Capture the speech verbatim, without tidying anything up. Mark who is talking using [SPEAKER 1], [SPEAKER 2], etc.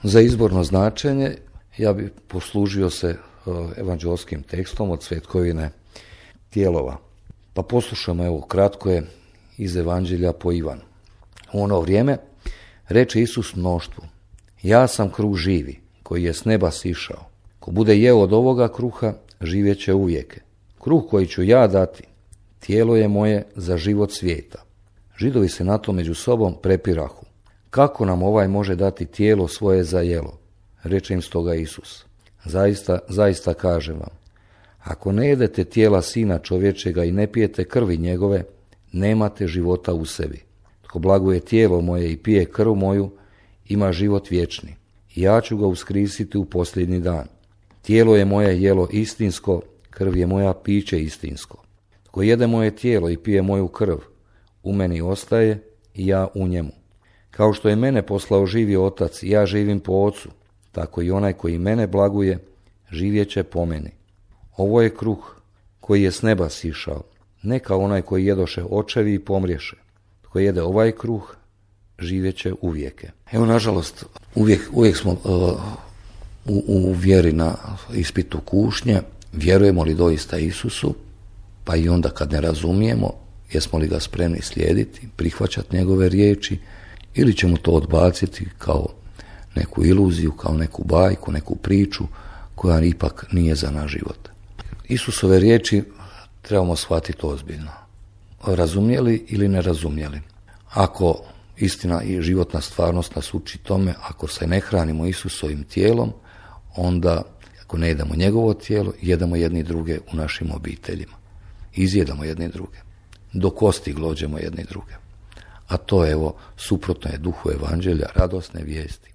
[SPEAKER 1] Za izborno značenje ja bi poslužio se evanđelskim tekstom od Svetkovine Tijelova. Pa poslušamo, evo, kratko je iz Evanđelja po Ivanu. U ono vrijeme reče Isus mnoštvu: ja sam kruh živi, koji je s neba sišao. Ko bude jeo od ovoga kruha, živjet će uvijek. Kruh koji ću ja dati, tijelo je moje za život svijeta. Židovi se na to među sobom prepirahu: kako nam ovaj može dati tijelo svoje za jelo? Reče im stoga Isus: zaista, zaista kažem vam, ako ne jedete tijela Sina čovječega i ne pijete krvi njegove, nemate života u sebi. Tko blaguje tijelo moje i pije krv moju, ima život vječni. I ja ću ga uskrisiti u posljednji dan. Tijelo je moje jelo istinsko, krv je moja piće istinsko. Tko jede moje tijelo i pije moju krv, u meni ostaje i ja u njemu. Kao što je mene poslao živi Otac i ja živim po Ocu, tako i onaj koji mene blaguje, živjet će po meni. Ovo je kruh koji je s neba sišao, ne kao onaj koji jedoše očevi i pomriješe. Tko jede ovaj kruh, živjet će uvijeke. Evo, nažalost, uvijek, uvijek smo uh, u, u vjeri na ispitu kušnje. Vjerujemo li doista Isusu? Pa i onda kad ne razumijemo, jesmo li ga spremni slijediti, prihvaćati njegove riječi, ili ćemo to odbaciti kao neku iluziju, kao neku bajku, neku priču koja ipak nije za naš život. Isusove riječi trebamo shvatiti ozbiljno. Razumjeli ili ne razumjeli? Ako istina i životna stvarnost nas uči tome, ako se ne hranimo Isusovim tijelom, onda ako ne jedemo njegovo tijelo, jedemo jedni druge u našim obiteljima. Izjedamo jedni druge. Do kosti glođemo jedni druge. A to, evo, suprotno je duhu evanđelja, radosne vijesti.